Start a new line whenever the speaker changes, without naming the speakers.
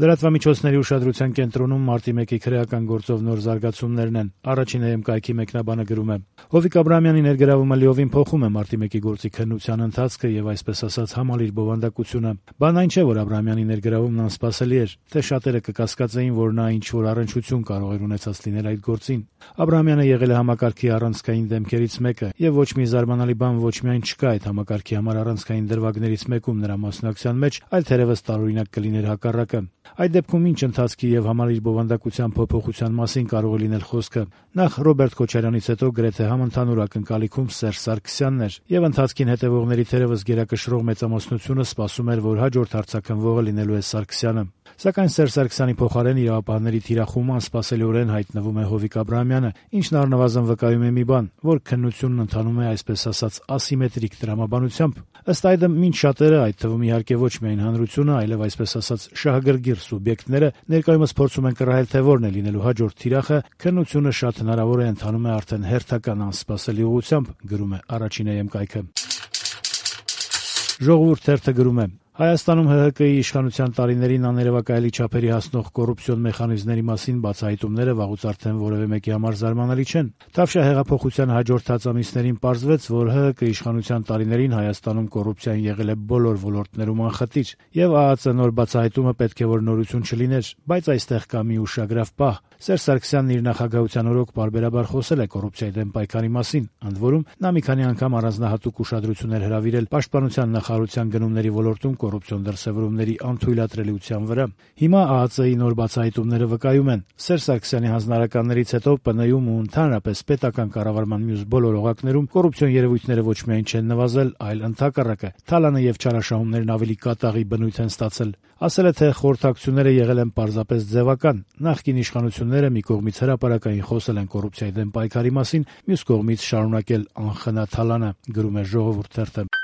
Լրատվամիջոցների ուշադրության կենտրոնում մարտի 1-ի քրեական գործով նոր զարգացումներն են։ Առաջինը ԵՄԿ-ի մեկնաբանը գրում է. Հովիկ Աբրահամյանի ներգրավումը լիովին փոխում է մարտի 1-ի գործի քննության ընթացքը եւ այսպես ասած համալիր բովանդակությունը։ Բանն այն չէ, որ Աբրահամյանի ներգրավումն անսպասելի էր, թե շատերը կկասկածեին, որ նա ինչ որ առնչություն կարող էր ունեցած լինել այդ գործին։ Աբրահամյանը եղել է համակարգի առանցքային դեմքերից մեկը, եւ ոչ մի զարմանալի բան ոչ միայն չկա այդ համակարգի համար առանցքային դրվագներից մեկում նրա մասնակցության մեջ, այլ թերևս տարօրինակ կլիներ հակառակը։ Այդ դեպքում ինչ ընթացքի եւ համալիր բովանդակության փոփոխության մասին կարող է լինել խոսքը։ Նախ Ռոբերտ Քոչարյանից հետո գրեթե համընդհանուր ակնկալիքում Սերժ Սարգսյանն էր, եւ ընթացքին հետեւողների թերևս գերակշռող մեծամասնությունը սպասում էր, որ հաջորդ հարձակվողը լինելու է Սարգսյանը։ Սակայն Սերժ Սարգսյանի փոխարեն իրավապահների թիրախում անսպասելիորեն հայտնվում է Հովիկ Աբրահամյանը, ինչն առնվազն վկայում է մի բան, որ քննությունն ընթանում է այսպես ասած ասիմետրիկ տրամաբանությամբ։ Ըստ այդմ, մինչ շատերը, այդ թվում իհարկե ոչ միայն հանրությունը, այլև այսպես ասած շահագրգիռ սուբյեկտները ներկայումս փորձում են կռահել, թե որն է լինելու հաջորդ թիրախը, քննությունը շատ հնարավոր է ընթանում է արդեն հերթական անսպասելի ուղղությամբ, գրում է առաջին ԵՄԿ-ը։ Ժողովուրդ թերթը գրում է. Հայաստանում ՀՀԿ-ի իշխանության տարիներին աներևակայելի չափերի հասնող կոռուպցիոն մեխանիզմների մասին բացահայտումները վաղուց արդեն որևէ մեկի համար զարմանալի չեն։ Թավշյա հեղափոխության հաջորդած ամիսներին պարզվեց, որ ՀՀԿ իշխանության տարիներին Հայաստանում կոռուպցիան եղել է բոլոր ոլորտներում անխտիր, եւ ԱԱԾ նոր բացահայտումը պետք է որ նորություն չլիներ, բայց այստեղ կա մի ուշագրավ պահ։ Սերժ Սարգսյանն իր նախագահության օրոք պարբերաբար խոսել է կոռուպցիայի դեմ պայքարի մասին, ընդ որում նա մի քանի անգամ առանձնահատուկ ուշադրություն էր հրավիրել պաշտպանության նախարարության գնումների ոլորտում կոռուպցիոն դրսևորումների անթույլատրելիության վրա։ Հիմա ԱԱԾ-ի նոր բացահայտումները վկայում են, Սերժ Սարգսյանի հանձնարարականներից հետո ՊՆ-ում ու ընդհանրապես պետական կառավարման մյուս բոլոր օղակներում կոռուպցիոն երևույթները ոչ միայն չեն նվազել, այլ ընդհակառակը թալանը եւ չարաշահումներն ավելի կատաղի բնույթ են ստացել։ Ասել է, թե խորհրդակցությունները եղել են պարզապես ձևական։ Նախկին իշխանությունները մի կողմից հրապարակային խոսել են կոռուպցիայի դեմ պայքարի մասին, մյուս կողմից շարունակել անխնա թալանը, գրում է Ժողովուրդ թերթը։